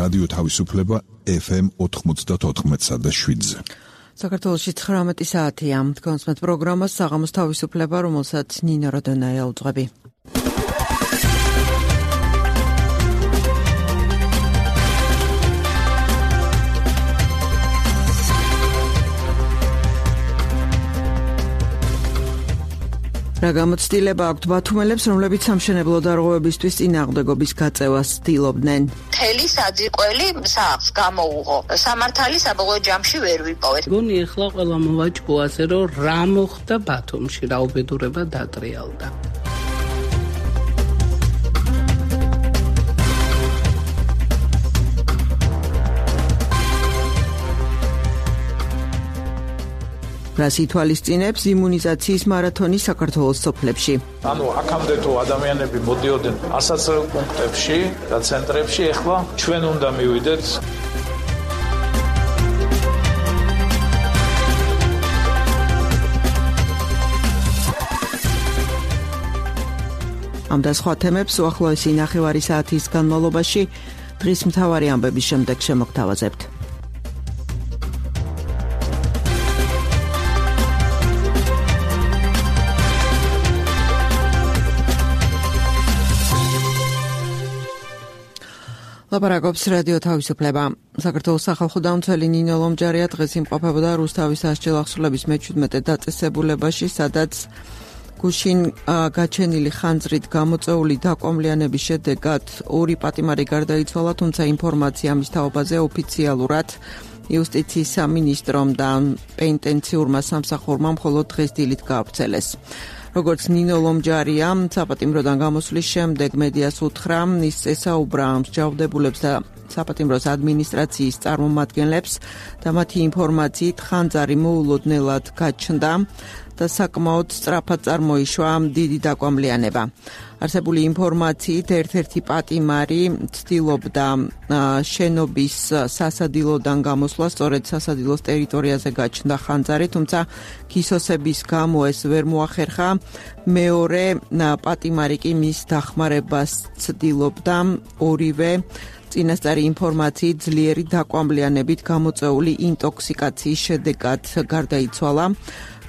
რადიო თავისუფლება FM 94.7-ზე. საქართველოში 19 საათია. თქვენს პროგრამას საღამოს თავისუფლება, რომელსაც ნინო როდონაია უძღვები. რა გამოცდილება აქვთ ბათუმელებს, რომლებიც სამშენებლო დარღვევებისთვის წინააღმდეგობის გაწევას ცდილობდნენ? მთელი საძირკველი სახლს გამოუღო. სამართალი საბოლოო ჯამში ვერ ვიპოვეთ. გონი ეხლა ყველა მოვაჭკო ასე, რომ რა მოხდა ბათუმში, რა უბედურება დატრიალდა. რას ითვალისწინებს იმუნიზაციის მარათონი საქართველოს სოფლებში? აქამდე თუ ადამიანები მოდიოდნენ ასაცილ პუნქტებში და ცენტრებში, ეხლა ჩვენ უნდა მივიდეთ. ამ და სხვა თემებს უახლოესი ნახევარი საათის განმავლობაში დღის მთავარი ამბების შემდეგ შემოგთავაზებთ. ლაპარაკობს რადიო თავისუფლება. საქართველოს სახალხო დამცველი ნინო ლომჯარია დღეს იმყოფებოდა რუსთავის სასჯელახსრულების მე-17 დაწესებულებაში, სადაც გუშინ გაჩენილი ხანძრით გამოწვეული დაკვამლიანების შედეგად ორი პატიმარი გარდაიცვალა, თუმცა ინფორმაცია მის თაობაზე ოფიციალურად იუსტიციის სამინისტრომ და პენტენციურმა სამსახურმა მხოლოდ დღეს დილით გაავრცელეს. როგორც ნინო ლომჯარია საპატიმროდან გამოსვლის შემდეგ მედიას უთხრა, ის ესაუბრა მსჯავრდებულებს და საპატიმროს ადმინისტრაციის წარმომადგენლებს და მათი ინფორმაციით ხანძარი მოულოდნელად გაჩნდა და საკმაოდ სწრაფად წარმოიშვა დიდი დაკვამლიანება. არსებული ინფორმაციით ერთ-ერთი პატიმარი ცდილობდა შენობის სასადილოდან გამოსვლა, სწორედ სასადილოს ტერიტორიაზე გაჩნდა ხანძარი, თუმცა გისოსების გამო ეს ვერ მოახერხა. მეორე პატიმარი კი მის დახმარებას ცდილობდა, ორივე წინასწარი ინფორმაციით ძლიერი დაკვამლიანებით გამოწვეული ინტოქსიკაციის შედეგად გარდაიცვალა.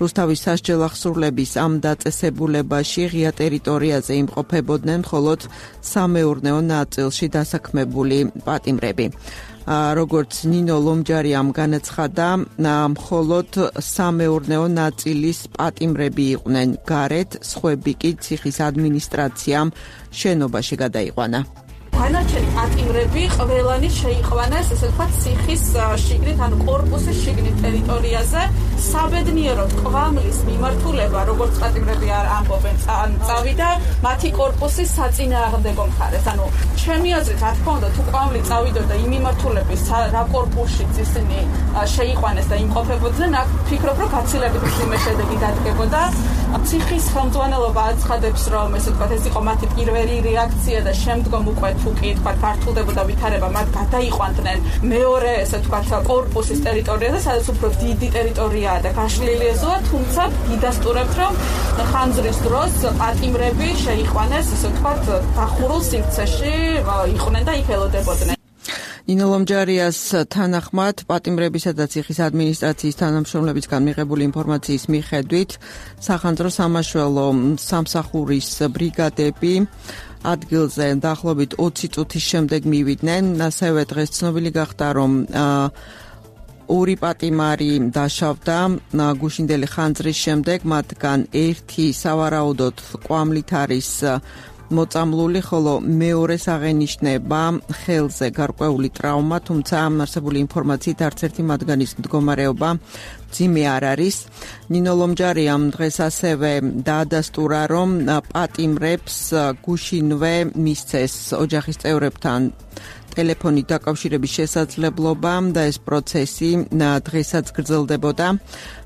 რუსთავის სასჯელახსრულების ამ დაწესებულებაში ღია ტერიტორიაზე იმყოფებოდნენ მხოლოდ სამეურნეო ნაწილში დასაქმებული პატიმრები. როგორც ნინო ლომჯარიამ განაცხადა, მხოლოდ სამეურნეო ნაწილის პატიმრები იყვნენ გარეთ, სხვები კი ციხის ადმინისტრაციამ შენობაში გადაიყვანა. განარჩენი პატიმრები ყველანი შეიყვანეს, ესე ვთქვათ, ციხის შიგნით, ანუ კორპუსის შიგნით ტერიტორიაზე. საბედნიეროდ კვამლის მიმართულება, როგორც პატიმრები არ ამბობენ, წავიდა მათი კორპუსის საწინააღმდეგო მხარეს. ანუ ჩემი აზრით, რა თქმა უნდა, თუ კვამლი წავიდოდა იმ მიმართულების, რა კორპუსშიც ისინი შეიყვანეს და იმყოფებოდნენ, აქ ფიქრობ, რომ გაცილებით მძიმე შედეგი დადგებოდა. ციხის ხელმძღვანელობა აცხადებს, რომ ესე ვთქვათ, ეს იყო მათი პირველი რეაქცია და შემდგომ უკვე თუ კი თქვა გართულდებოდა ვითარება, მათ გადაიყვანდნენ მეორე, ესე ვთქვათ, კორპუსის ტერიტორიაზე, სადაც უფრო დიდი ტერიტორიაა და გაშლილი ეზოა, თუმცა გიდასტურებთ, რომ ხანძრის დროს პატიმრები შეიყვანეს, ესე ვთქვათ, დახურულ სივრცეში იყვნენ და იქ ელოდებოდნენ. ნინო ლომჯარიას თანახმად, პატიმრებისა და ციხის ადმინისტრაციის თანამშრომლებისგან მიღებული ინფორმაციის მიხედვით, სახანძრო სამაშველო სამსახურის ბრიგადები ადგილზე დაახლოებით 20 წუთის შემდეგ მივიდნენ. ასევე დღეს ცნობილი გახდა, რომ ორი პატიმარი დაშავდა გუშინდელი ხანძრის შემდეგ, მათგან ერთი სავარაუდოდ კვამლით არის მოწამლული, ხოლო მეორეს აღენიშნება ხელზე გარკვეული ტრავმა, თუმცა არსებული ინფორმაციით არც ერთი მათგანის მდგომარეობა მძიმე არ არის. ნინო ლომჯარიამ დღეს ასევე დაადასტურა, რომ პატიმრებს გუშინვე მისცეს ოჯახის წევრებთან ტელეფონით დაკავშირების შესაძლებლობა და ეს პროცესი დღესაც გრძელდებოდა.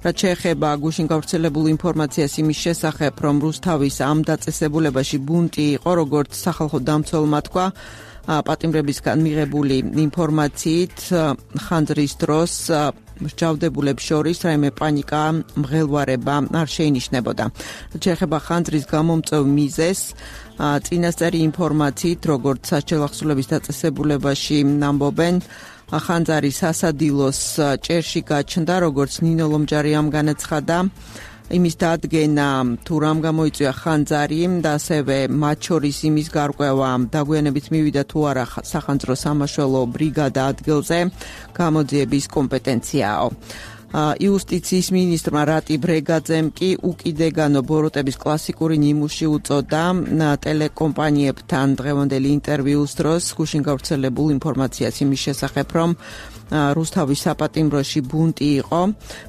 რაც შეეხება გუშინ გავრცელებულ ინფორმაციას იმის შესახებ, რომ რუსთავის ამ დაწესებულებაში ბუნტი იყო, როგორც სახალხო დამცველმა თქვა, პატიმრებისგან მიღებული ინფორმაციით ხანძრის დროს მსჯავრდებულებს შორის რაიმე პანიკა, მღელვარება არ შეინიშნებოდა. შეეხება ხანძრის გამომწვევ მიზეზს, წინასწარი ინფორმაციით, როგორც სასჯელ ახსულების დაწესებულებაში ამბობენ, ხანძარი სასადილოს ჭერში გაჩნდა, როგორც ნინო ლომჯარიამ განაცხადა. იმის დადგენა თუ რამ გამოიწვია ხანძარი და ასევე მათ შორის იმის გარკვევა დაგვიანებით მივიდა თუ არა სახანძრო სამაშველო ბრიგადა ადგილზე გამოძიების კომპეტენციაო. იუსტიციის მინისტრმა რატი ბრეგაძემ კი უკიდეგანო ბოროტების კლასიკური ნიმუში უწოდა ტელეკომპანიებთან დღევანდელი ინტერვიუს დროს გუშინ გავრცელებულ ინფორმაციას იმის შესახებ, რომ რუსთავის საპატიმროში ბუნტი იყო,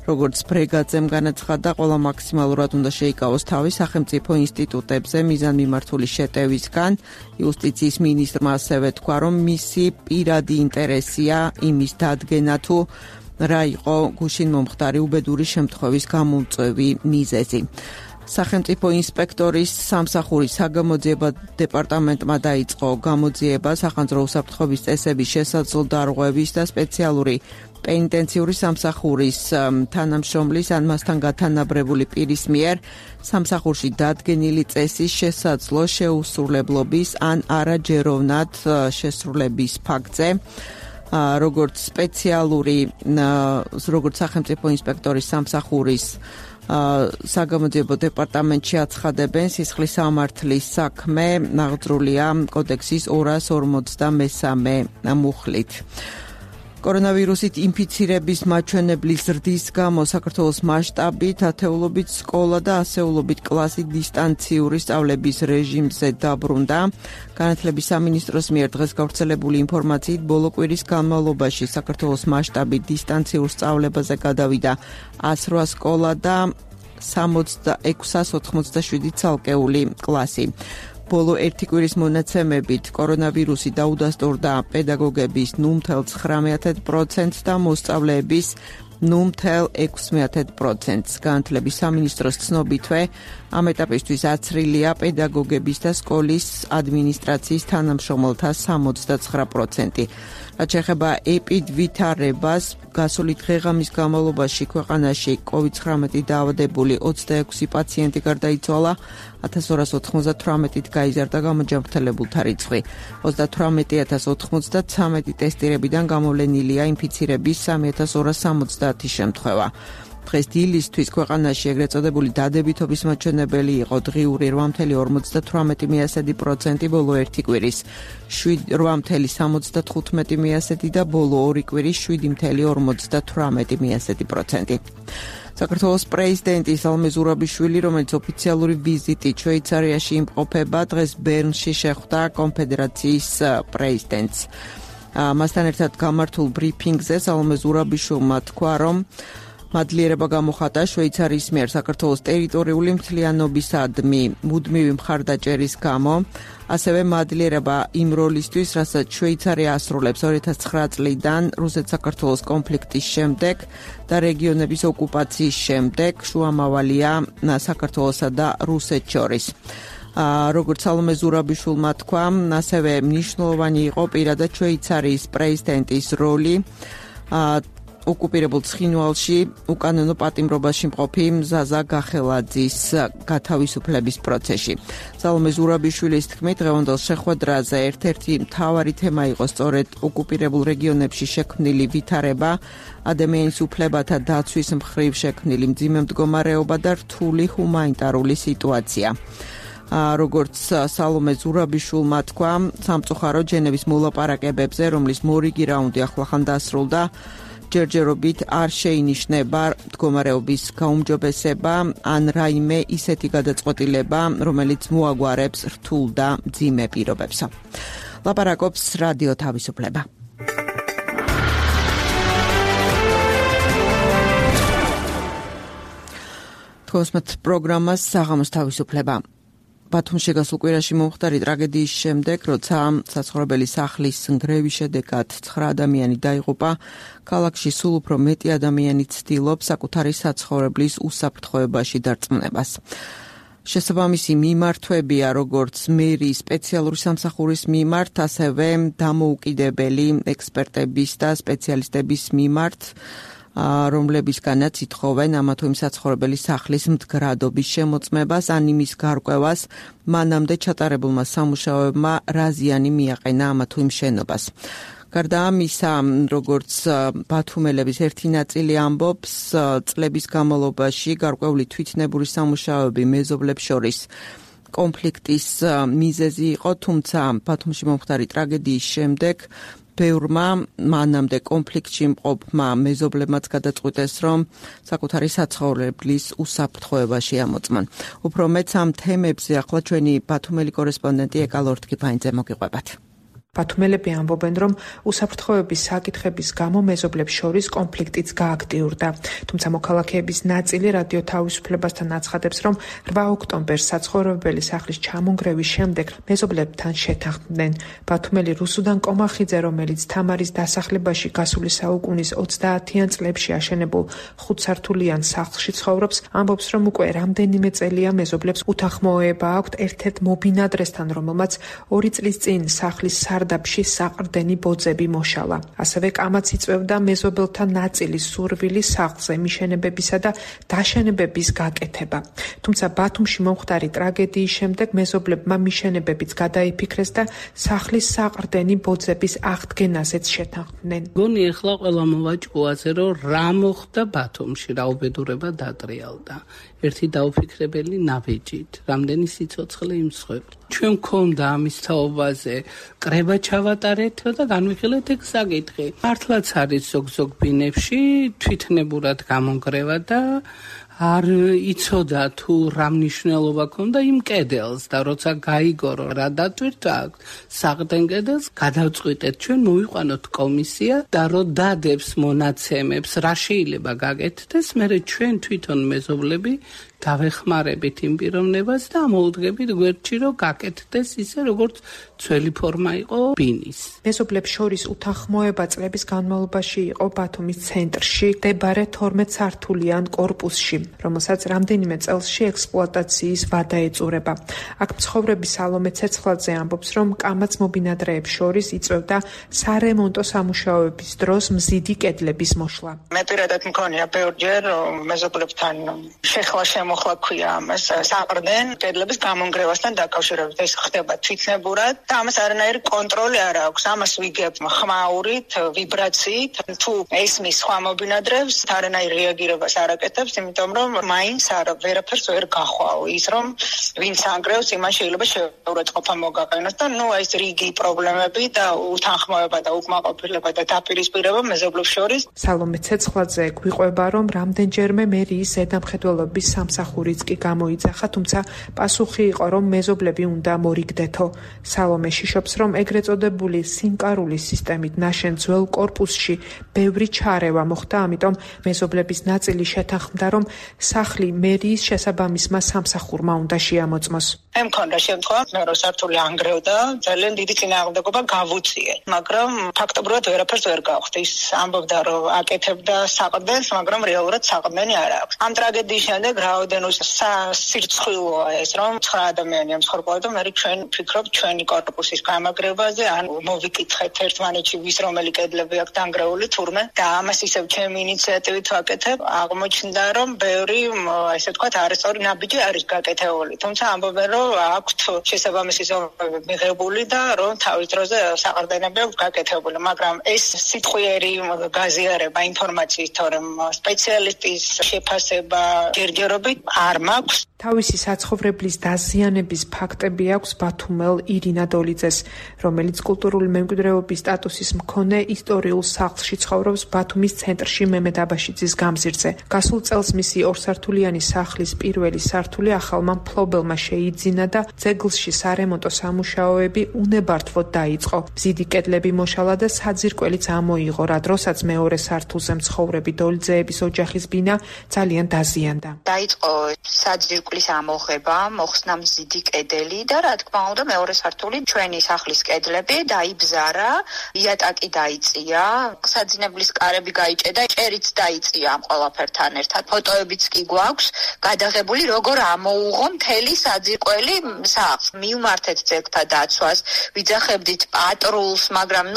როგორც ბრეგაძემ განაცხადა, ყველა მაქსიმალურად უნდა შეიკავოს თავი სახელმწიფო ინსტიტუტებზე მიზანმიმართული შეტევისგან. იუსტიციის მინისტრმა ასევე თქვა, რომ მისი პირადი ინტერესია იმის დადგენა თუ რა იყო გუშინ მომხდარი უბედური შემთხვევის გამომწვევი მიზეზი. სახელმწიფო ინსპექტორის სამსახურის საგამოძიება დეპარტამენტმა დაიწყო გამოძიება სახანძრო უსაფრთხოების წესების შესაძლო დარღვევის და სპეციალური პენიტენციური სამსახურის თანამშრომლის ან მასთან გათანაბრებული პირის მიერ სამსახურში დადგენილი წესის შესაძლო შეუსრულებლობის ან არაჯეროვნად შესრულების ფაქტზე. როგორც სახელმწიფო ინსპექტორის სამსახურის საგამოძიებო დეპარტამენტში აცხადებენ, სისხლის სამართლის საქმე აღძრულია კოდექსის 253 მუხლით. კორონავირუსით ინფიცირების მაჩვენებლის ზრდის გამო საქართველოს მასშტაბით ათეულობით სკოლა და ასეულობით კლასი დისტანციური სწავლების რეჟიმზე დაბრუნდა. განათლების სამინისტროს მიერ დღეს გავრცელებული ინფორმაციით ბოლო კვირის განმავლობაში საქართველოს მასშტაბით დისტანციურ სწავლებაზე გადავიდა 108 სკოლა და 687 ცალკეული კლასი. ბოლო ერთი კვირის მონაცემებით კორონავირუსი დაუდასტურდა პედაგოგების 0.19% და მოსწავლეების 0.16%. განათლების სამინისტროს ცნობითვე ამ ეტაპისთვის აცრილია პედაგოგების და სკოლის ადმინისტრაციის თანამშრომელთა 69%. რაც შეეხება ეპიდვითარებას, გასული დღე-ღამის განმავლობაში ქვეყანაში COVID-19 დაავადებული 26 პაციენტი გარდაიცვალა, 1298-ით გაიზარდა გამოჯანმრთელებულთა რიცხვი. 38093 ტესტირებიდან გამოვლენილია ინფიცირების 3270 შემთხვევა. დღეს დილისთვის ქვეყანაში ეგრეთ წოდებული დადებითობის მაჩვენებელი იყო დღიური 8.58% ბოლო ერთი კვირის 8.75% და ბოლო ორი კვირის 7.58%. საქართველოს პრეზიდენტი სალომე ზურაბიშვილი, რომელიც ოფიციალური ვიზიტით შვეიცარიაში იმყოფება, დღეს ბერნში შეხვდა კონფედერაციის პრეზიდენტს. მასთან ერთად გამართულ ბრიფინგზე სალომე ზურაბიშვილმა თქვა, რომ მადლიერება გამოხატა შვეიცარიის მიერ საქართველოს ტერიტორიული მთლიანობისადმი მუდმივი მხარდაჭერის გამო, ასევე მადლიერება იმ როლისთვის, რასაც შვეიცარია ასრულებს 2009 წლიდან რუსეთ-საქართველოს კონფლიქტის შემდეგ და რეგიონების ოკუპაციის შემდეგ, შუამავალია საქართველოსა და რუსეთს შორის. როგორც სალომე ზურაბიშვილმა თქვა, ასევე მნიშვნელოვანი იყო პირადად შვეიცარიის პრეზიდენტის როლი ოკუპირებულ ცხინვალში უკანონო პატიმრობაში მყოფი მზაზა გახელაძის გათავისუფლების პროცესში. სალომე ზურაბიშვილის თქმით, დღევანდელ შეხვედრაზე ერთ-ერთი მთავარი თემა იყო სწორედ ოკუპირებულ რეგიონებში შექმნილი ვითარება, ადამიანის უფლებათა დაცვის მხრივ შექმნილი მძიმე მდგომარეობა და რთული ჰუმანიტარული სიტუაცია. როგორც სალომე ზურაბიშვილმა თქვა, სამწუხაროდ ჟენევის მოლაპარაკებებზე, რომლის მორიგი რაუნდი ახლახან დასრულდა, ჯერჯერობით არ შეინიშნება მდგომარეობის გაუმჯობესება ან რაიმე ისეთი გადაწყვეტილება, რომელიც მოაგვარებს რთულ და მძიმე პირობებს. ლაპარაკობს რადიო თავისუფლება. თქოსმეთ პროგრამას საღამოს თავისუფლება. ბათუმში გასულ კვირაში მომხდარი ტრაგედიის შემდეგ, როცა საცხოვრებელი სახლის ნგრევის შედეგად 9 ადამიანი დაიღუპა, ქალაქში სულ უფრო მეტი ადამიანი ცდილობს საკუთარი საცხოვრებლის უსაფრთხოებაში დარწმუნებას. შესაბამისი მიმართვებია როგორც მერის სპეციალური სამსახურის მიმართ, ასევე დამოუკიდებელი ექსპერტების და სპეციალისტების მიმართ, რომლებისგანაც ითხოვენ ამა თუ იმ საცხოვრებელი სახლის მდგრადობის შემოწმებას ან იმის გარკვევას, მანამდე ჩატარებულმა სამუშაოებმა რა ზიანი მიაყენა ამა თუ იმ შენობას. გარდა ამისა, როგორც ბათუმელების ერთი ნაწილი ამბობს, წლების განმავლობაში გარკვეული თვითნებური სამუშაოები მეზობლებს შორის კონფლიქტის მიზეზი იყო, თუმცა ბათუმში მომხდარი ტრაგედიის შემდეგ ბევრმა მანამდე კონფლიქტში მყოფმა მეზობლებმაც გადაწყვიტეს, რომ საკუთარი საცხოვრებლის უსაფრთხოება შეამოწმონ. უფრო მეც ამ თემებზე ახლა ჩვენი ბათუმელი კორესპონდენტი ეკა ლორთქიფაინძე მოგიყვებათ. ბათუმელები ამბობენ, რომ უსაფრთხოების საკითხების გამო მეზობლებს შორის კონფლიქტიც გააქტიურდა. თუმცა მოქალაქეების ნაწილი რადიო თავისუფლებასთან აცხადებს, რომ 8 ოქტომბერს საცხოვრებელი სახლის ჩამონგრევის შემდეგ მეზობლებთან შეთანხმდნენ. ბათუმელი რუსუდან კომახიძე, რომელიც თამარის დასახლებაში გასული საუკუნის 30-იან წლებში აშენებულ 5-სართულიან სახლში ცხოვრობს, ამბობს, რომ უკვე რამდენიმე წელია მეზობლებს უთანხმოება აქვთ ერთ-ერთ მობინადრესთან, რომელმაც 2 წლის წინ სახლის სარდაფში საყრდენი ბოძები მოშალა. ასევე კამაც იწვევდა მეზობელთა ნაწილის სურვილი სახლზე მიშენებებისა და დაშენებების გაკეთება. თუმცა ბათუმში მომხდარი ტრაგედიის შემდეგ მეზობლებმა მიშენებებიც გადაიფიქრეს და სახლის საყრდენი ბოძების აღდგენაზეც შეთანხმდნენ. გონი ახლა ყველა მოვაჭყუაზე, რომ რა მოხდა ბათუმში, რა უბედურება დატრიალდა. ერთი დაუფიქრებელი ნაბიჯით, რამდენი სიცოცხლე იმსხვერპლ. ჩვენ მქონდა ამის თაობაზე კრება ჩავატარეთ და განვიხილეთ ეგ საკითხი. მართლაც არის ზოგ ბინებში თვითნებურად გამონგრევა და არ იცოდა თუ რა მნიშვნელობა ქონდა იმ კედელს და როცა გაიგორო რა დატვირთვა აქვს საყრდენ კედელს, გადავწყვიტეთ ჩვენ მოვიყვანოთ კომისია და რომ დადებს მონაცემებს რა შეიძლება გაკეთდეს, მერე ჩვენ თვითონ მეზობლები დავეხმარებით იმ პიროვნებას და მოვუდგებით გვერდში, რომ გაკეთდეს ისე, როგორც ძველი ფორმა იყო ბინის. მეზობლებს შორის უთანხმოება წლების განმავლობაში იყო ბათუმის ცენტრში მდებარე 12-სართულიან კორპუსში, რომელსაც რამდენიმე წელსში ექსპლუატაციის ვადა ეწურება. აქ მცხოვრები სალომე ცეცხლაძე ამბობს, რომ კამაც მობინადრეებს შორის იწვევდა სარემონტო სამუშაოების დროს მზიდი კედლების მოშლა. მე პირადად მქონია ბევრჯერ მეზობლებთან შეხლა მოხლა ქვია ამას საყრდენ კედლების გამონგრევასთან დაკავშირებით. ეს ხდება თვითნებურად და ამას არანაირი კონტროლი არ აქვს. ამას ვიგებ ხმაურით, ვიბრაციით. თუ ესმის სხვა მობინადრეებს არანაირ რეაგირებას არ აკეთებს, იმიტომ რომ მაინც ვერაფერს ვერ გახვალ. ის რომ ვინც ანგრევს, იმან შეიძლება შეურაცხყოფა მოგაყენოს და ეს რიგი პრობლემები და უთანხმოება და უკმაყოფილება და დაპირისპირება მეზობლებს შორის. სალომე ცეცხლაძე გვიყვება, რომ რამდენჯერმე მერიის ზედამხედველობის სამსახურიც კი გამოიძახა, თუმცა პასუხი იყო, რომ მეზობლები უნდა მორიგდეთო. სალომე შიშობს, რომ ეგრეთ წოდებული სინკარულის სისტემით ნაშენ ძველ კორპუსში ბევრი ჩარევა მოხდა, ამიტომ მეზობლების ნაწილი შეთანხმდა, რომ სახლი მერიის შესაბამისმა სამსახურმა უნდა შეამოწმოს. მე მქონდა შემთხვევა, მე სართული ანგრევდა, ძალიან დიდი წინააღმდეგობა გავუწიე, მაგრამ ფაქტობრივად ვერაფერს ვერ გავხდი. ის ამბობდა, რომ აკეთებდა საყრდენს, მაგრამ რეალურად საყრდენი არ აქვს. ამ ტრაგედიის შემდეგ რაოდენ სირცხვილოა ეს, რომ 9 ადამიანია მსხვერპლად და მე ჩვენ ვფიქრობ ჩვენი კორპუსის გამაგრებაზე, ან მოვიკითხეთ ერთმანეთში ვის რომელი კედლები აქვს დანგრეული თურმე და ამას ისევ ჩემი ინიციატივით ვაკეთებ. აღმოჩნდა, რომ ბევრი ესე ვთქვათ არასწორი ნაბიჯი არის გაკეთებული. თუმცა ამბობენ, რომ აქვთ შესაბამისი ზომები მიღებული და რომ თავის დროზე საყრდენები აქვს გაკეთებული, მაგრამ ეს სიტყვიერი გაზიარება ინფორმაციის თორემ სპეციალისტის შეფასება ჯერჯერობით არ მაქვს. თავისი საცხოვრებლის დაზიანების ფაქტები აქვს ბათუმელ ირინა დოლიძეს, რომელიც კულტურული მემკვიდრეობის სტატუსის მქონე ისტორიულ სახლში ცხოვრობს ბათუმის ცენტრში მემედ აბაშიძის გამზირზე. გასულ წელს მისი 2-სართულიანი სახლის პირველი სართული ახალმა მფლობელმა შეიძინა და ძეგლში სარემონტო სამუშაოები უნებართვოდ დაიწყო. მზიდი კედლები მოშალა და საძირკველიც ამოიღო, რა დროსაც მეორე სართულზე მცხოვრები დოლიძეების ოჯახის ბინა ძალიან დაზიანდა. დაიწყო საძირკველი ირკვლის ამოღება, მოხსნა მზიდი კედელი და რა თქმა უნდა მეორე სართული ჩვენი სახლის კედლები დაიბზარა, იატაკი დაიწია, საძინებლის კარები გაიჭედა, ჭერიც დაიწია ამ ყველაფერთან ერთად. ფოტოებიც კი გვაქვს გადაღებული, როგორ ამოუღო მთელი საძირკველი სახლს. მივმართეთ ძეგლთა დაცვას, ვიძახებდით პატრულს, მაგრამ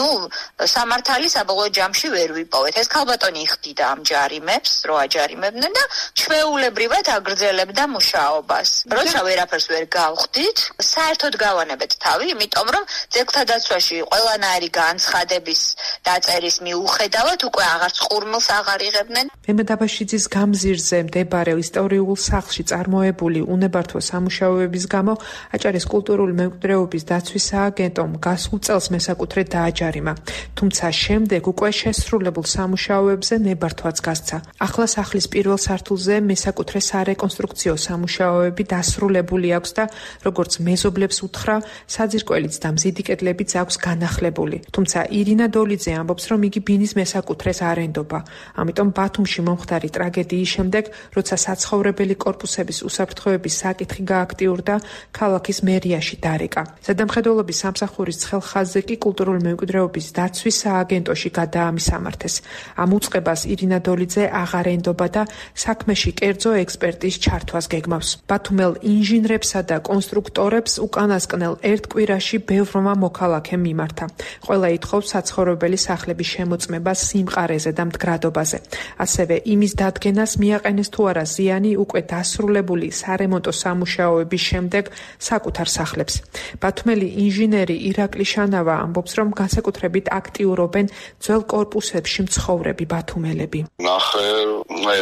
სამართალი საბოლოო ჯამში ვერ ვიპოვეთ. ეს ქალბატონი იხდიდა ამ ჯარიმებს, რო აჯარიმებდნენ და ჩვეულებრივად აგრძელებდა მუშაობას. როცა ვერაფერს ვერ გავხდით, საერთოდ გავანებეთ თავი, იმიტომ რომ ძეგლთა დაცვაში ყველანაირი განცხადების დაწერის მიუხედავად უკვე აღარც ყურმილს აღარ იღებდნენ. მემედაბაშიძის გამზირზე მდებარე ისტორიულ სახლში წარმოებული უნებართვო სამუშაოების გამო აჭარის კულტურული მემკვიდრეობის დაცვის სააგენტომ გასულ წელს მესაკუთრედ დააჯარიმა. თუმცა შემდეგ უკვე შესრულებულ სამუშაოებზე ნებართვაც გასცა. ახლა სახლის პირველ სართულზე მესაკუთრე სარეკონსტრუქციო სამუშაოები დასრულებული აქვს და როგორც მეზობლებს უთხრა, საძირკველიც და მზიდი კედლებიც აქვს განახლებული. თუმცა ირინა დოლიძე ამბობს, რომ იგი ბინის მესაკუთრეს არ ენდობა. ამიტომ ბათუმში მომხდარი ტრაგედიის შემდეგ, როცა საცხოვრებელი კორპუსების უსაფრთხოების საკითხი გააქტიურდა, ქალაქის მერიაში დარეკა. ზედამხედველობის სამსახურის ცხელხაზზე კი კულტურული მემკვიდრეობის დაცვის სააგენტოში გადაამისამართეს. ამ უწყებას ირინა დოლიძე აღარ ენდობა და საქმეში კერძო ექსპერტის ჩართვას გეგმავს. ბათუმელ ინჟინრებსა და კონსტრუქტორებს უკანასკნელ ერთ კვირაში ბევრმა მოქალაქემ მიმართა. ყველა ითხოვს საცხოვრებელი სახლების შემოწმებას სიმყარეზე და მდგრადობაზე. ასევე იმის დადგენას მიაყენეს თუ არა ზიანი უკვე დასრულებული სარემონტო სამუშაოების შემდეგ საკუთარ სახლებს. ბათუმელი ინჟინერი ირაკლი შანავა ამბობს, რომ განსაკუთრებით აქტიურობენ ძველ კორპუსებში მცხოვრები ბათუმელები. ნახე,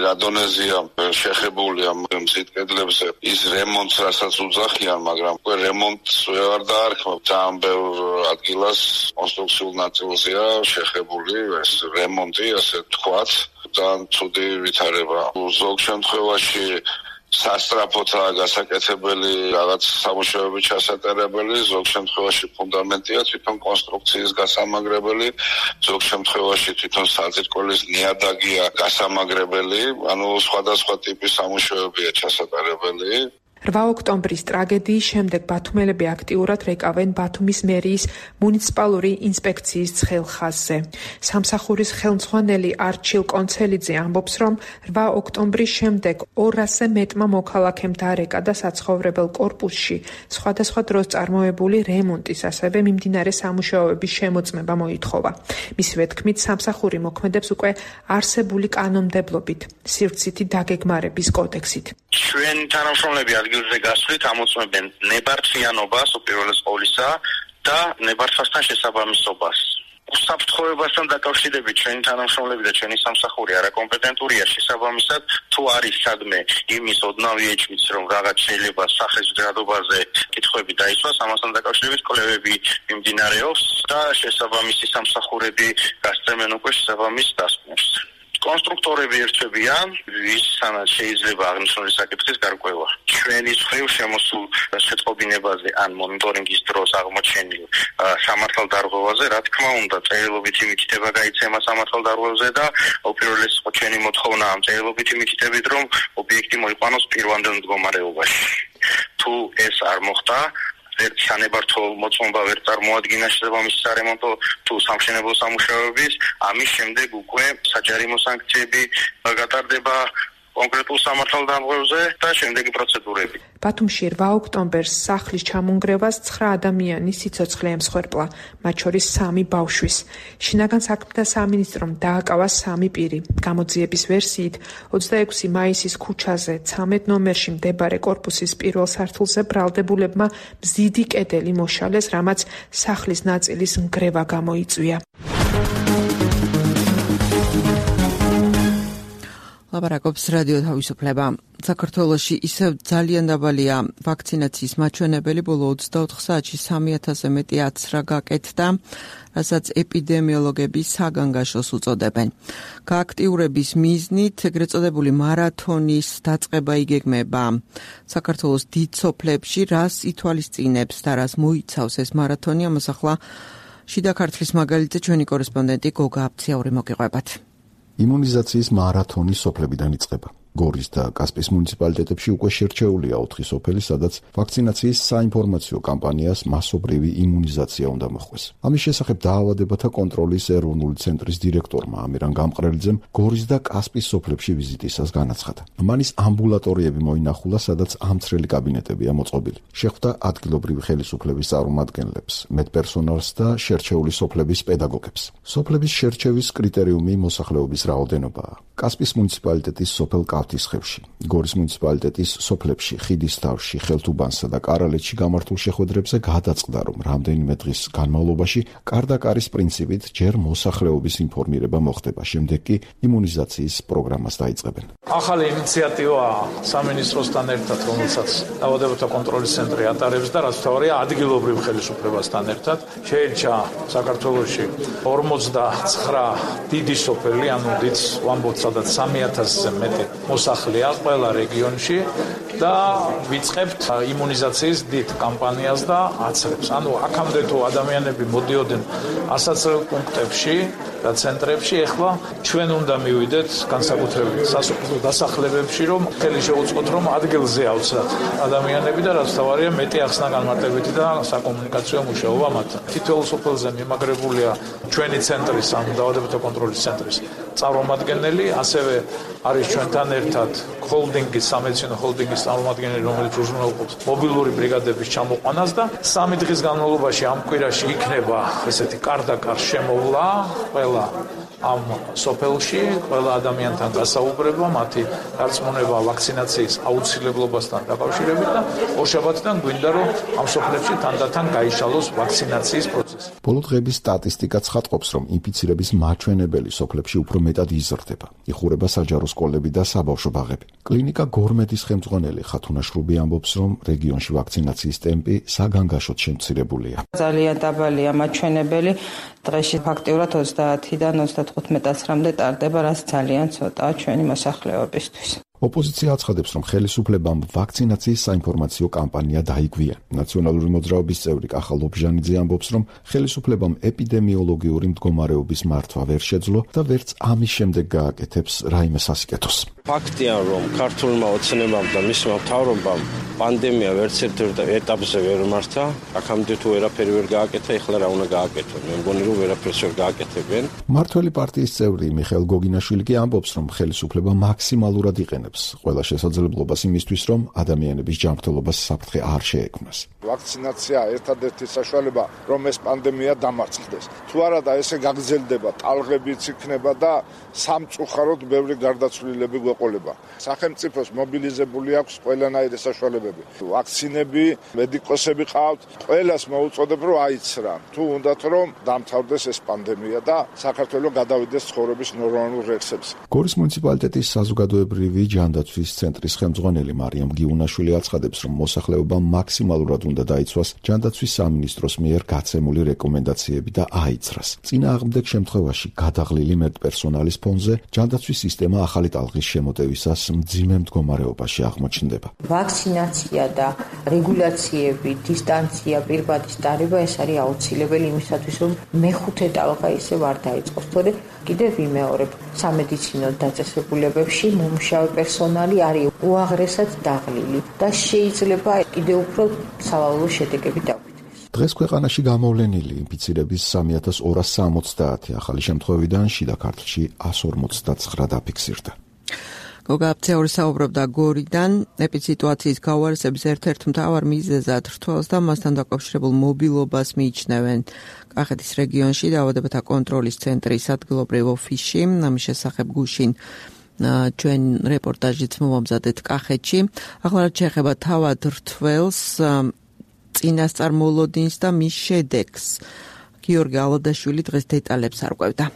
რა დონეზეა შეხებული ამ მზით კედლებზე ის რემონტს, რასაც უძახიან, მაგრამ უკვე რემონტს ვერ დაარქმევ. ძალიან ბევრ ადგილას კონსტრუქციულ ნაწილზეა შეხებული ეს რემონტი, ასე თქვათ. ძალიან ცუდი ვითარება. ზოგ შემთხვევაში სასტრაფოთაა გასაკეთებელი, რაღაც სამუშაოები ჩასატარებელი, ზოგ შემთხვევაში ფუნდამენტია თვითონ კონსტრუქციის გასამაგრებელი, ზოგ შემთხვევაში თვითონ საძირკველის ნიადაგია გასამაგრებელი, ანუ სხვადასხვა ტიპის სამუშაოებია ჩასატარებელი. 8 ოქტომბრის ტრაგედიის შემდეგ ბათუმელები აქტიურად რეკავენ ბათუმის მერიის მუნიციპალური ინსპექციის ცხელხაზზე. სამსახურის ხელმძღვანელი არჩილ კონცელიძე ამბობს, რომ 8 ოქტომბრის შემდეგ 200-ზე მეტმა მოქალაქემ დარეკა და საცხოვრებელ კორპუსში სხვადასხვა დროს წარმოებული რემონტის, ასევე მიმდინარე სამუშაოების შემოწმება მოითხოვა. მისივე თქმით, სამსახური მოქმედებს უკვე არსებული კანონმდებლობით, სივრცითი დაგეგმარების კოდექსით. ჩვენ თანამშრომლები ადგილზე გასვლით ამოწმებენ ნებართვიანობას უპირველეს ყოვლისა და ნებართვასთან შესაბამისობას. უსაფრთხოებასთან დაკავშირებით ჩვენი თანამშრომლები და ჩვენი სამსახური არაკომპეტენტურია შესაბამისად თუ არის სადმე იმის ოდნავი ეჭვიც, რომ რაღაც შეიძლება სახლის მდგრადობაზე კითხვები დაისვას, ამასთან დაკავშირებით კვლევები მიმდინარეობს და შესაბამისი სამსახურები გასწრებენ უკვე შესაბამის დასკვნებს. კონსტრუქტორები ერთვებიან, ვისაც შეიძლება აღნიშნული საკითხის გარკვევა. ჩვენი მხრივ შემოსულ შეტყობინებაზე ან მონიტორინგის დროს აღმოჩენილ სამართალდარღვევაზე, რა თქმა უნდა, წერილობითი მითითება გაიცემა სამართალდარღვევაზე და უპირველეს ჩვენი მოთხოვნა ამ წერილობითი მითითებით, რომ ობიექტი მოიყვანოს პირვანდელ მდგომარეობაში. თუ ეს არ მოხდა, ერთ სანებართვო მოწმობა ვერ წარმოადგინა შესაბამისი სარემონტო თუ სამშენებლო სამუშაოების, ამის შემდეგ უკვე საჯარიმო სანქციები გატარდება კონკრეტულ სამართალდამღვრევზე და შემდეგი პროცედურები. ბათუმში 8 ოქტომბერს სახლის ჩამონგრევას 9 ადამიანის სიცოცხლე ემსხვერპლა, მათ შორის 3 ბავშვის. შინაგან საქმეთა სამინისტრომ დააკავა 3 პირი. გამოძიების ვერსიით 26 მაისის ქუჩაზე 13 ნომერში მდებარე კორპუსის პირველ სართულზე ბრალდებულებმა მზიდი კედელი მოშალეს, რამაც სახლის ნაწილის ნგრევა გამოიწვია. ლაპარაკობს რადიო თავისუფლება. საქართველოში ისევ ძალიან დაბალია ვაქცინაციის მაჩვენებელი, ბოლო 24 საათში 3000-ზე მეტი აცრა გაკეთდა, რასაც ეპიდემიოლოგები საგანგაშოს უწოდებენ. გააქტიურების მიზნით ეგრეთ წოდებული მარათონის დაწყება იგეგმება საქართველოს დიდ სოფლებში, რას ითვალისწინებს და რას მოიცავს ეს მარათონი, ამას ახლა შიდა ქართლის მაგალითზე ჩვენი კორესპონდენტი გოგა აფციაური მოგიყვებათ. იმუნიზაციის მარათონი სოფლებიდან იწყება. გორის და კასპიის მუნიციპალიტეტებში უკვე შერჩეულია 4 სოფელი, სადაც ვაქცინაციის საინფორმაციო კამპანიას მასობრივი იმუნიზაცია უნდა მოხდეს. ამის შესახებ დაავადებათა კონტროლის ეროვნული ცენტრის დირექტორმა ამირან გამყრელიძემ გორის და კასპიის სოფლებში ვიზიტისას განაცხადა. მან ის ამბულატორიები მოინახულა, სადაც ამცრელი კაბინეტებია მოწყობილი. შეხვდა ადგილობრივი ხელისუფლების წარმომადგენლებს, მედპერსონალს და შერჩეული სოფლების პედაგოგებს. სოფლების შერჩევის კრიტერიუმი მოსახლეობის რაოდენობაა. კასპიის მუნიციპალიტეტის სოფელ კავთისხევში, გორის მუნიციპალიტეტის სოფლებში, ხიდისთავში, ხელთუბანსა და კარალეთში გამართულ შეხვედრებზე გადაწყდა, რომ რამდენიმე დღის განმავლობაში კარდაკარის პრინციპით ჯერ მოსახლეობის ინფორმირება მოხდება, შემდეგ კი იმუნიზაციის პროგრამას დაიწყებენ. ახალი ინიციატივა სამინისტროსთან ერთად, რომელსაც დაავადებათა კონტროლის ცენტრი ატარებს და რაც თავარია ადგილობრივ ხელისუფლებასთან ერთად შეირჩა საქართველოში 49 დიდი სოფელი, ანუ დიდ ვამბობთ, სადაც 3000-ზე მეტი მოსახლეა ყველა რეგიონში და ვიწყებთ იმუნიზაციის დიდ კამპანიას და აცრებს. ანუ აქამდე თუ ადამიანები მოდიოდნენ ასაცრელ პუნქტებში და ცენტრებში, ეხლა ჩვენ უნდა მივიდეთ განსაკუთრებით სასოფლო დასახლებებში, რომ ხელი შეუწყოთ, რომ ადგილზე ავცათ ადამიანები და რაც თავარია მეტი ახსნა განმარტებითი და საკომუნიკაციო მუშაობა მათთან. თითოეულ სოფელზე მიმაგრებულია ჩვენი ცენტრის, ანუ დაავადებათა კონტროლის ცენტრის წარმომადგენელი, ასევე არის ჩვენთან ერთად ჰოლდინგის, სამედიცინო ჰოლდინგის წარმომადგენელი, რომელიც უზრუნველყოფს მობილური ბრიგადების ჩამოყვანას და 3 დღის განმავლობაში ამ კვირაში იქნება ესეთი კარდაკარ შემოვლა ყველა ამ სოფელში, ყველა ადამიანთან დასაუბრება, მათი დარწმუნება ვაქცინაციის აუცილებლობასთან დაკავშირებით და ორშაბათიდან გვინდა, რომ ამ სოფლებში თანდათან გაიშალოს ვაქცინაციის პროცესი. ბოლო დღების სტატისტიკა ცხადყოფს, რომ ინფიცირების მაჩვენებელი სოფლებში უფრო მეტად იზრდება. იხურება საჯარო სკოლები და საბავშვო ბაღები. კლინიკა გორმედის ხელმძღვანელი ხათუნა შრუბი ამბობს, რომ რეგიონში ვაქცინაციის ტემპი საგანგაშოდ შემცირებულია. ძალიან დაბალია მაჩვენებელი, დღეში ფაქტიურად 30-დან 35-მდე ტარდება, რაც ძალიან ცოტაა ჩვენი მოსახლეობისთვის. ოპოზიცია აცხადებს, რომ ხელისუფლებამ ვაქცინაციის საინფორმაციო კამპანია დაიგვია. ნაციონალური მოძრაობის წევრი კახა ლობჟანიძე ამბობს, რომ ხელისუფლებამ ეპიდემიოლოგიური მდგომარეობის მართვა ვერ შეძლო და ვერც ამის შემდეგ გააკეთებს რაიმე სასიკეთოს. ფაქტია, რომ ქართულმა ოცნებამ და მისმა მთავრობამ პანდემია ვერც ერთ ეტაპზე ვერ მართა, აქამდე თუ ვერაფერი ვერ გააკეთა, ეხლა რა უნდა გააკეთონ? მე მგონი, რომ ვერაფერს ვერ გააკეთებენ. მართველი პარტიის წევრი მიხეილ გოგინაშვილი კი ამბობს, რომ ხელისუფლება მაქსიმალურად იყენებს ყველა შესაძლებლობას იმისთვის, რომ ადამიანების ჯანმრთელობას საფრთხე არ შეექმნას. ვაქცინაცია ერთადერთი საშუალება, რომ ეს პანდემია დამარცხდეს. თუ არა და ესე გაგრძელდება, ტალღებიც იქნება და სამწუხაროდ ბევრი გარდაცვლილები გვეყოლება. სახელმწიფოს მობილიზებული აქვს ყველანაირი საშუალებები. ვაქცინები, მედიკოსები ყავთ, ყველას მოუწოდებ, რომ აიცრან. თუ უნდათ, რომ დამთავრდეს ეს პანდემია და საქართველო გადავიდეს ცხოვრების ნორმალურ რექსებზე. გორის მუნიციპალიტეტის საზოგადოებრივი ჯანდაცვის ცენტრის ხელმძღვანელი მარიამ გიუნაშვილი აცხადებს, რომ მოსახლეობა მაქსიმალურად უნდა დაიცვას ჯანდაცვის სამინისტროს მიერ გაცემული რეკომენდაციები და აიცრას. წინააღმდეგ შემთხვევაში გადაღლილი მედპერსონალის ფონზე ჯანდაცვის სისტემა ახალი ტალღის შემოტევისას მძიმე მდგომარეობაში აღმოჩნდება. ვაქცინაცია და რეგულაციები, დისტანცია, პირბადის დარება ეს არის აუცილებელი იმისათვის, რომ მეხუთე ტალღა ისევ არ დაიწყოს. თორე კიდევ ვიმეორებ, სამედიცინო დაწესებულებებში მომუშავე პერსონალი არის უაღრესად დაღლილი და შეიძლება კიდევ უფრო სავალალო შედეგები დაგვიწყდეს. დღეს ქვეყანაში გამოვლენილი ინფიცირების 3260 ახალი შემთხვევიდან შიდა ქართლში 159 დაფიქსირდა. გოგა აფცეური საუბრობდა გორიდან ეპიდსიტუაციის გაუარესების ერთ-ერთ მთავარ მიზეზად რთველს და მასთან დაკავშირებულ მობილობას მიიჩნევენ კახეთის რეგიონში დაავადებათა კონტროლის ცენტრის ადგილობრივ ოფისში. ამის შესახებ გუშინ ჩვენ რეპორტაჟიც მოვამზადეთ კახეთში. ახლა რაც შეეხება თავად რთველს, წინასწარ მოლოდინს და მის შედეგს, გიორგი ალოდაშვილი დღეს დეტალებს არკვევდა.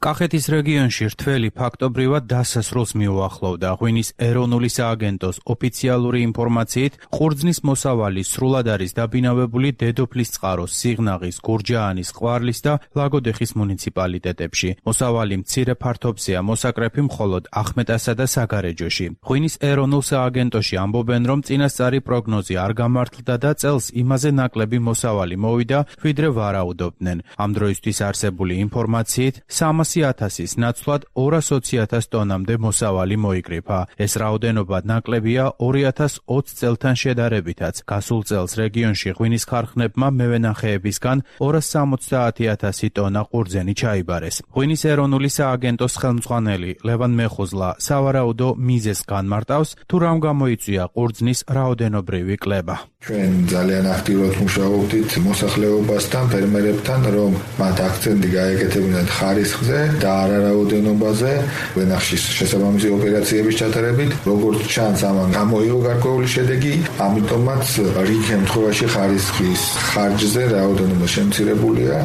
კახეთის რეგიონში რთველი ფაქტობრივად დასასრულს მიუახლოვდა. ღვინის ეროვნული სააგენტოს ოფიციალური ინფორმაციით, ყურძნის მოსავალი სრულად არის დაბინავებული დედოფლის წყაროს, სიღნაღის, გურჯაანის, ყვარლის და ლაგოდეხის მუნიციპალიტეტებში. მოსავალი მცირე ფართობზეა, მოსაკრეფი მხოლოდ ახმეტასა და საგარეჯოში. ღვინის ეროვნულ სააგენტოში ამბობენ, რომ წინასწარი პროგნოზი არ გამართლდა და წელს იმაზე ნაკლები მოსავალი მოვიდა, ვიდრე ვარაუდობდნენ. ამ დროისთვის არსებული ინფორმაციით 300 200,000-ის ნაცვლად 220,000 ტონამდე მოსავალი მოიკრიფა. ეს რაოდენობა ნაკლებია 2020 წელთან შედარებითაც. გასულ წელს რეგიონში ღვინის ქარხნებმა მევენახეებისგან 270,000 ტონა ყურძენი ჩაიბარეს. ღვინის ეროვნული სააგენტოს ხელმძღვანელი ლევან მეხუზლა სავარაუდო მიზეზს განმარტავს, თუ რამ გამოიწვია ყურძნის რაოდენობრივი კლება. ჩვენ ძალიან აქტიურად მუშაობდით მოსახლეობასთან, ფერმერებთან, რომ მათ აქცენტი გაეკეთებინათ ხარისხზე და არარაოდენობაზე, ვენახში შესაბამისი ოპერაციების ჩატარებით, როგორც ჩანს, ამან გამოიღო გარკვეული შედეგი, ამიტომაც რიგ შემთხვევაში ხარისხის ხარჯზე რაოდენობა შემცირებულია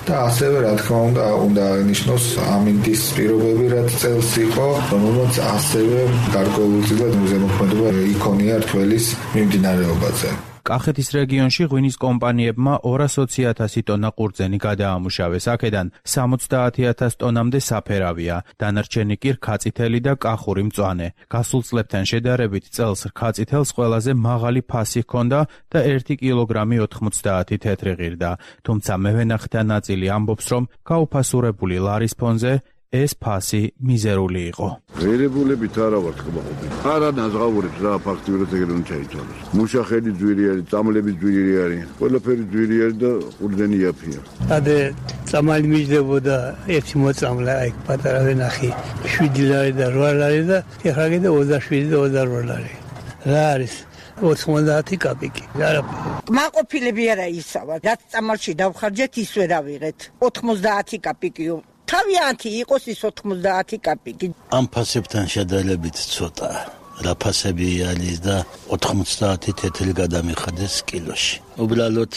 და ასევე რა თქმა უნდა ნიშნოს ამინდის პირობები, რაც წელს იყო, რომელმაც ასევე გარკვეულწილად ზემოქმედობა იქონია რთველის მიმდინარეობაზე. კახეთის რეგიონში ღვინის კომპანიებმა 220,000 ტონა ყურძენი გადაამუშავეს. აქედან 70,000 ტონამდე საფერავია, დანარჩენი კი რქაწითელი და კახური მწვანე. გასულ წლებთან შედარებით წელს რქაწითელს ყველაზე მაღალი ფასი ჰქონდა და 1 კილოგრამი 90 თეთრი ღირდა. თუმცა მევენახეთა ნაწილი ამბობს, რომ გაუფასურებული ლარის ფონზე ეს ფასი მიზერული იყო. ღირებულებით არა ვარ ხმაობი. არა ნაზღაურებს რა ფაქტიურად ეგრე უნდა ჩაითვალოს. მუშახელი ძვირი არის, წამლები ძვირი არის, ყველაფერი ძვირი არის და ყურძენი იაფია. ადე წამალი მიჯდებოდა ერთი მოწამლა აი პატარა ვენახი 7 ლარი და 8 ლარი და ეხლა კიდე 27 და 28 ლარი. რა არის 90 კაპიკი. კმაყოფილები არა ისავა. რაც წამალში დავხარჯეთ ის ვერ ავიღეთ. 90 კაპიკიო. თავიანთი იყოს ის 90 კაპიკი. ამ ფასებთან შედარებით ცოტა. რა ფასები არის და 90 თეთრი გადამიხადეს კილოში. უბრალოდ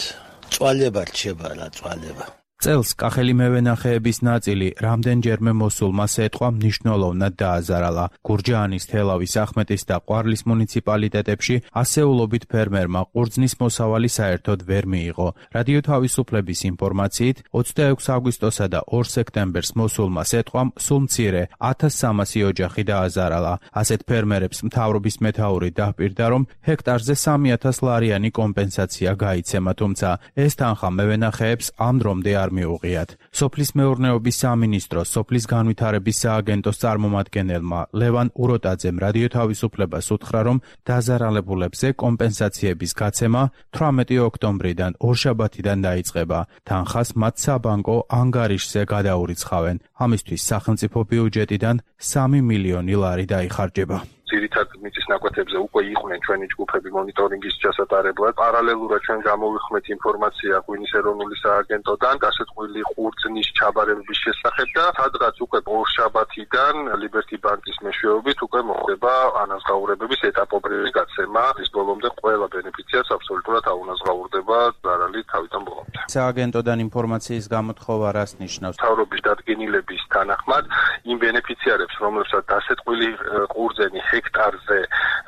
წვალება რჩება რა წვალება. წელს კახელი მევენახეების ნაწილი რამდენჯერმე მოსულმა სეტყვა მნიშვნელოვნად დააზარალა. გურჯაანის, თელავის, ახმეტის და ყვარლის მუნიციპალიტეტებში ასეულობით ფერმერმა ყურძნის მოსავალი საერთოდ ვერ მიიღო. რადიო თავისუფლების ინფორმაციით 26 აგვისტოსა და 2 სექტემბერს მოსულმა სეტყვამ სულ მცირე 1300 ოჯახი დააზარალა. ასეთ ფერმერებს მთავრობის მეთაური დაჰპირდა, რომ ჰექტარზე 3,000 ლარიანი კომპენსაცია გაიცემა, თუმცა ეს თანხა მევენახეებს ამ დრომდე არ მიუღიათ. სოფლის მეურნეობის სამინისტროს სოფლის განვითარების სააგენტოს წარმომადგენელმა ლევან უროტაძემ რადიო თავისუფლებას უთხრა, რომ დაზარალებულებზე კომპენსაციების გაცემა 18 ოქტომბრიდან ორშაბათიდან დაიწყება. თანხას მათ საბანკო ანგარიშზე გადაურიცხავენ. ამისთვის სახელმწიფო ბიუჯეტიდან 3 მილიონი ლარი დაიხარჯება. ძირითად მიწის ნაკვეთებზე უკვე იყვნენ ჩვენი ჯგუფები მონიტორინგის ჩასატარებლად. პარალელურად ჩვენ გამოვიხმეთ ინფორმაცია ღვინის ეროვნული სააგენტოდან გასეთყვილი ყურძნის ჩაბარების შესახებ და სადღაც უკვე ორშაბათიდან ლიბერტი ბანკის მეშვეობით უკვე მოხდება ანაზღაურებების ეტაპობრივი გაცემა. ის ბოლომდე ყველა ბენეფიციარს აბსოლუტურად აუნაზღაურდება ზარალი თავიდან ბოლომდე. სააგენტოდან ინფორმაციის გამოთხოვა რას ნიშნავს? მთავრობის დადგენილების თანახმად იმ ბენეფიციარებს, რომლებსაც დასეტყვილი ყურძენი ჰექტარზე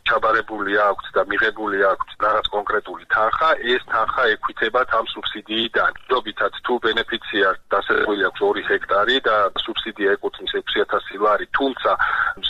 ჩაბარებული აქვს და მიღებული აქვს რაღაც კონკრეტული თანხა, ეს თანხა ექვითებათ ამ სუბსიდიიდან. ჯობითად თუ ბენეფიციარს დასაწყისი აქვს 2 ჰექტარი და სუბსიდია ეკუთვნის 6,000 ლარი, თუმცა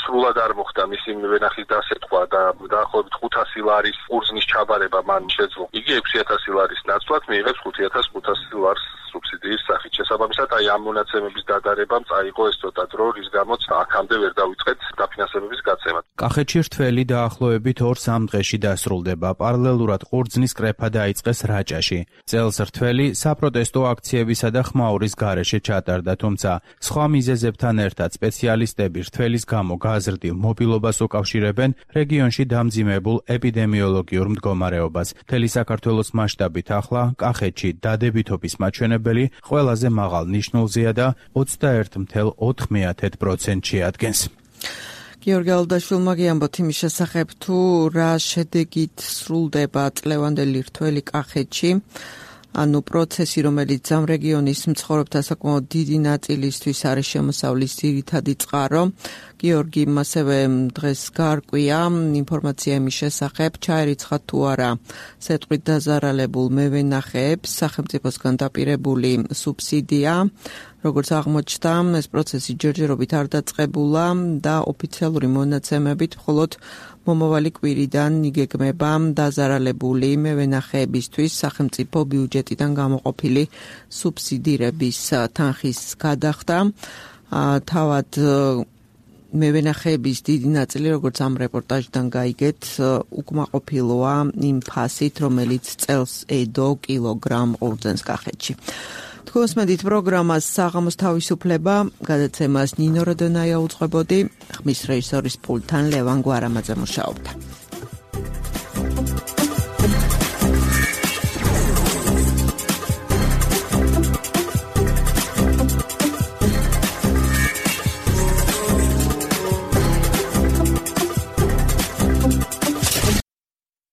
სრულად არ მოხდა მისი ვენახის დასეტყვა და დაახლოებით 500 ლარის ყურძნის ჩაბარება მან შეძლო. იგი 6,000 ლარის ნაცვლად მიიღებს 5,500 ლარს სუბსიდიის სახით. შესაბამისად, აი ამ მონაცემების დადარებამ წაიღო ეს ცოტა დრო, რის გამოც აქამდე ვერ დავიწყეთ დაფინანსებების გაცემა. კახეთში რთველი დაახლოებით 2-3 დღეში დასრულდება. პარალელურად ყურძნის კრეფა დაიწყეს რაჭაში. წელს რთველი საპროტესტო აქციებისა და ხმაურის გარეშე ჩატარდა, თუმცა სხვა მიზეზებთან ერთად სპეციალისტები რთველის გამო გაზრდილ მობილობას უკავშირებენ რეგიონში დამძიმებულ ეპიდემიოლოგიურ მდგომარეობას. მთელი საქართველოს მასშტაბით ახლა კახეთში დადებითობის მაჩვენებელი ყველაზე მაღალ ნიშნულზეა და 21,4%-ში ადგენს. გიორგი ალდაშვილმა გიამბოთ იმის შესახებ, თუ რა შედეგით სრულდება წლევანდელი რთველი კახეთში. ანუ პროცესი, რომელიც ამ რეგიონის მცხოვრებთა საკმაოდ დიდი ნაწილისთვის არის შემოსავლის ძირითადი წყარო. გიორგიმ ასევე დღეს გაარკვია ინფორმაცია იმის შესახებ, ჩაერიცხა თუ არა სეტყვით დაზარალებულ მევენახეებს სახელმწიფოსგან დაპირებული სუბსიდია. როგორც აღმოჩნდა, ეს პროცესი ჯერჯერობით არ დაწყებულა და ოფიციალური მონაცემებით მხოლოდ მომავალი კვირიდან იგეგმება დაზარალებული მევენახეებისთვის სახელმწიფო ბიუჯეტიდან გამოყოფილი სუბსიდირების თანხის გადახდა. თავად მევენახეების დიდი ნაწილი, როგორც ამ რეპორტაჟიდან გაიგეთ, უკმაყოფილოა იმ ფასით, რომელიც წელს ედო კილოგრამ ყურძენს კახეთში. თქვენს მედით პროგრამას საღამოს თავისუფლება, გადაცემას ნინო როდონაია უძღვებოდი, ხმის რეჟისორის პულტთან ლევან გვარამაძე მუშაობდა.